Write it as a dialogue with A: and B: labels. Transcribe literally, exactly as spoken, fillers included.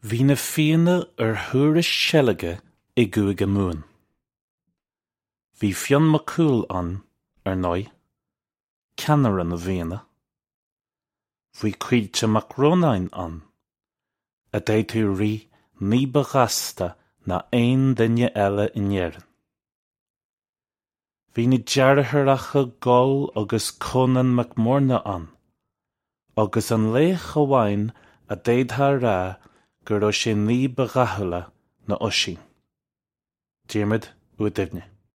A: Bhí na Fianna ar thuras seilge i gCúige Mumhan. Bhí Fionn Mac Cumhaill ann, ar ndóigh, ceannaire na bhFianna. Bhí Caoilte Mac Rónáin ann, a d'fhéadfadh rith ní ba ghasta ná aon duine eile in Éirinn. Bhí na deartháireacha Goll agus Conán Mac Morna ann, agus an laoch amháin a d'fhéadfá a rá go raibh sé ní ba dhathúla ná Oisín, Diarmuid Ua Duibhne.